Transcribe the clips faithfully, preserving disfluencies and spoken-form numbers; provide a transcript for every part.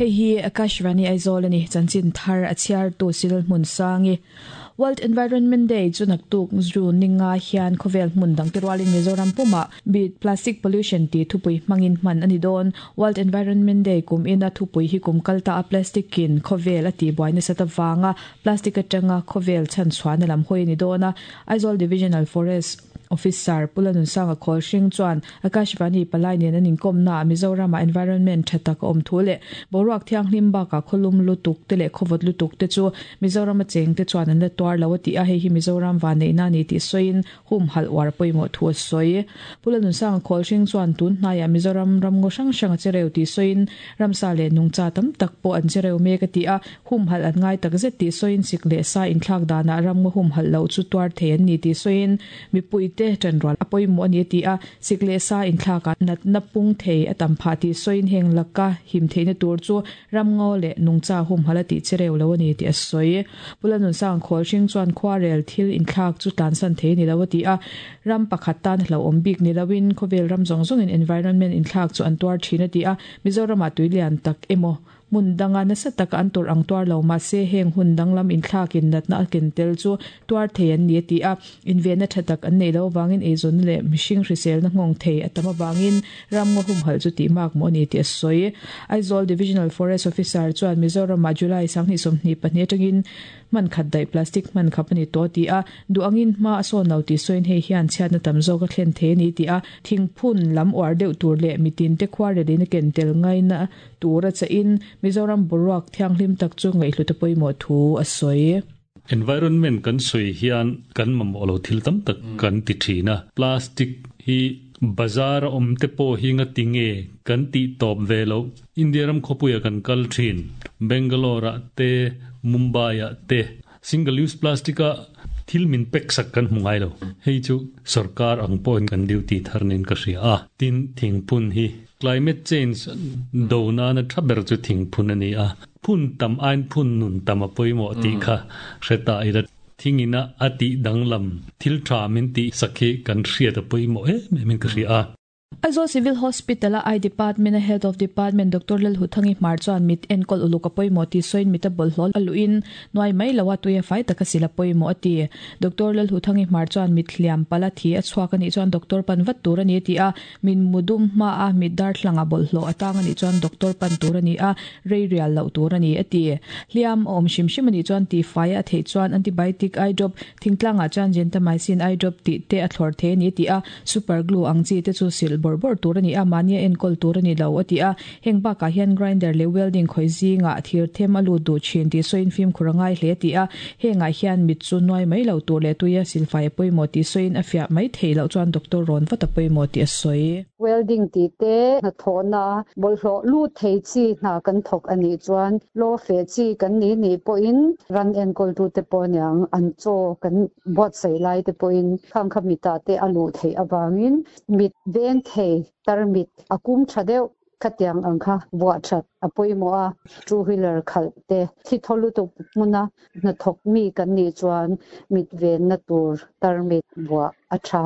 Hei hi Akashvani Aizawl ani chanchin thar a chhiar tu sil hmun sangi. World Environment Day chu naktuk June ninga hian khawvel hmun dang te rualin Mizoram puma beat plastic pollution ti thupui hmangin hman ani dawn. World Environment Day kum ina thupui hi kum kalta a plastic in khawvel ati buaina sata wanga plastic atanga khawvel chan chuan lam hoi ni dawna. Aizawl Divisional Forest Officer Pulanun Sanga Khol Hring chuan Akashvani palai nen an inkom na Mizoram environment thatak om thule boruak thianghlim ba ka kholum lutuk te le khowot lutuk te chu Mizoram a cheng te chuan an la tuar lo ti a hei hi Mizoram wa nei na ni ti soin hum hal war poimo thu soi. Pulanun Sanga Khol Hring chuan tun hnaya Mizoram ram ngo sang sang chereu ti soin ramsa le nungcha tam tak po an chereu me ka ti a hum hal an ngai tak zet ti soin sik le sa in thlak dana ram ngo hum hal lo chu tuar the an ni ti soin mi pui te tanral apoi mo ani ti a sikle sa in thlaka nat na pung thei atam pha ti soin heng laka him theina tur chu ramngo le nungcha hum halati chereu lo ani ti a soi. Pulanun Sang Khol Hring chuan khwarel thil in thlak chu tan san thei ni lo ti a ram pakhat tan hlo om bik ni lawin khawvel ram zong zong in environment in thlak chu an tuar thina ti a Mizoram a tuilian tak emo mun danga na sa taka an tur ang tuar lo ma se heng hun danglam in thlakin nat na ken tel chu tuar thei an ni ti a invena thatak an nei lo wangin eizon le mihring hrisel na ngong thei atama wangin ram ngo hum hal chu ti mak mo ni ti a soi. Aizawl Divisional Forest Officer chuan Mizoram a July sangni somni pahnih atangin man khat dai plastic man khapani to ti a du angin ma aso no ti soin hei hian chhiat na tam zo ka thlen the ni ti a thingphun lam war deuh tur le mitin te khwar re na ken tel ngai na tura cha in Mizoram boruak thianghlim tak chu ngai hlu te poimo thu a soi. Environment kan soi hian kan mamawh lo thil tam tak kan ti thina plastic hi bazar om te po hi nga tinge kan ti top ve lo India ram khopuya kan kal thin Bangalore te Mumbai te single use plastic a thil min pek sak kan hmungai lo hei chu sarkar ang point kan duty tharnin ka ria a tin thingphun hi climate change do na na thaber chu thingphun ani a phun tam ain phun nun tam a poimo ti kha hreta ira thingina ati danglam thil tha min ti sakhi kan hria ta poimo e min ka ria a. Aizawl Civil Hospital a I Department a Head of Department Doctor Lalhuthangi Hmar chuan mit enkol uluk a pawimawh ti sawiin mit a bawlhhlawh aluin nuai mai lo a tuia fai taka sila pawimawh a ti. Doctor Lalhuthangi Hmar chuan mit hliam pala thi a chhuak ani chuan doctor pan vat tur ani ti a min mudum hma a mit dar thlanga bawlhhlawh atang ani chuan doctor pan tur ani a rei rial lo tur ani a ti. Hliam awm hrim hrim ani chuan ti fai a thei chuan antibiotic eye drop thingtlangah chuan gentamicin eye drop tih te a thlawr the ani ti a super glue ang chi te chu sil bor bor tur ani a mania enkol tur ani lo ati a heng ba ka hian grinder le welding khoi zinga thir them alu du chin ti soin film khurangai hle ti a henga hian mit chu noi mai lo tur le tuya silfai poimo ti soin afia mai thei lo chuan doctor ron vata poimo ti a soi. Welding ti te na thona bolhlo lu thei chi na kan thok ani chuan lo fe chi kan ni ni po in ran enkol tu te po nyang an cho kan bot sei lai te po in khang khamita te alu thei awangin mit veng thei tarmit akum thadeu khatiang angkha bua that apoimo a two wheeler khal te thi tholu to muna na thok mi kan ni chuan mit ven na tur tarmit bua acha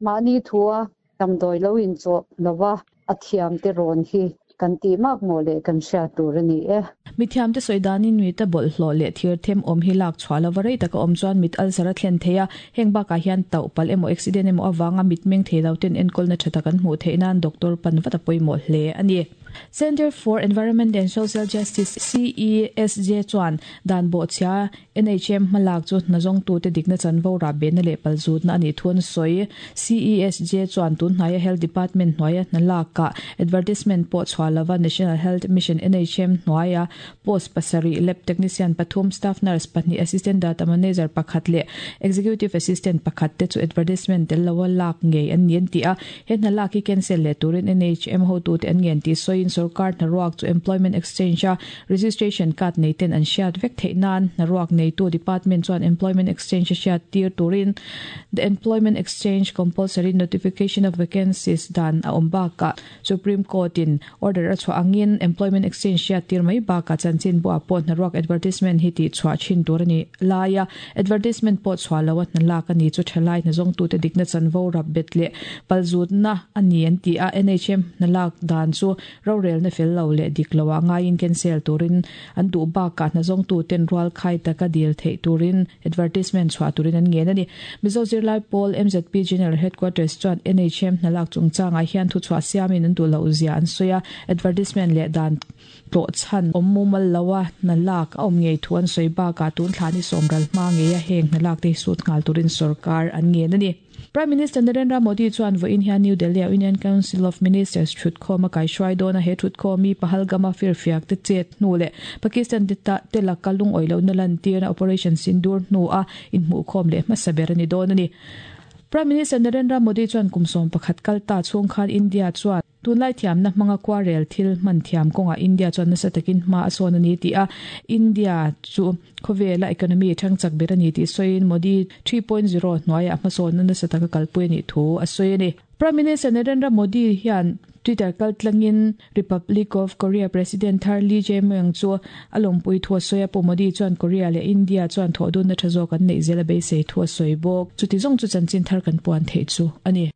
mani thua tamdoi lo in cho lawa athiam te ron hi kan ti mak mo le kan sha tur ani e. Mithiam te soidanin mi ta bol hlo le thir them om hi lak chhuala warai taka om chuan mit alsara thlen theia heng ba ka hian tau pal emo accident emo awanga mit meng thei lo ten enkol na thata kan hmu theinan doctor pan vata poimo hle ani. Center for Environment and Social Justice C E S J chuan dan bo chia N H M malak chu nazong tu te dikna chanvo ra ben le palzut na ani thun soi. C E S J chuan tun hnaya Health Department hnuaia hnalak ka advertisement po chhualawa National Health Mission N H M hnuaia post pasari lab technician pathum staff nurse pahnih assistant data manager pakhat le executive assistant pakhat te chu advertisement tel lawa lak ngei an nian ti a he hnalak hi cancel le turin N H M ho tu te an ngen ti soin sarkar na ruak chu employment exchange a registration card nei ten an hriat vek theih nan na ruak nei tu department chuan employment exchange a hriat tir turin the employment exchange compulsory notification of vacancies dan a awm bakah Supreme Court in order a chhuah angin employment exchange hriat tir mai bakah chanchin bu a pawh na ruak advertisement hi ti chhuah thin tur ani laia advertisement pawh chhuah lo a hna lak ani chu thalai na zawng tu te dikna chanvo rap bet le palzut na ani an ti a N H M na lak dan chu ro Rorel na fel lo le dik lowa ngaiin cancel turin an du ba ka na zong tu ten rual khai taka dil thei turin advertisement chwa turin an ngen ani. Mizo Zirlai Pawl M Z P General Headquarters chuan N H M hnalak chungchanga hian thu chhuah siamin an du lo zia an soya advertisement le dan to chan ommumal lawa nalak om ngei thuan soiba ka tun thlani somral ma nge ya heng nalak te sut ngal turin sarkar an nge ani. Prime Minister Narendra Modi chuan vo in hian New Delhi Union Council of Ministers thut khoma kai hruai dona he thut khomi Pahalgama firfiak te chet hnu le Pakistan te ta te lakalung oilo na lan tirna Operation Sindoor hnu a in hmu khom le hmasaber ani don ani. Prime Minister Narendra Modi chuan kumsom pakhat kalta chung khan India chuan tunlai thiam na hmanga kwarel thil man thiam konga India chuan nasa takin hma a sawn ani ti a India chu khawvela economy thangchak ber ani ti soin Modi three point zero hnuaia hmasawn na nasa taka kalpui ani thu a sawi ani. Prime Minister Narendra Modi hian Twitter kaltlangin Republic of Korea President Thar Lee Jae-myung chu alompui thu a sawi a pu Modi chuan Korea le India chuan thodun na tha zawk an nei zela beisei thu a sawi bawk. Chuti zawng chu chanchin thar kan puan thei chu ani.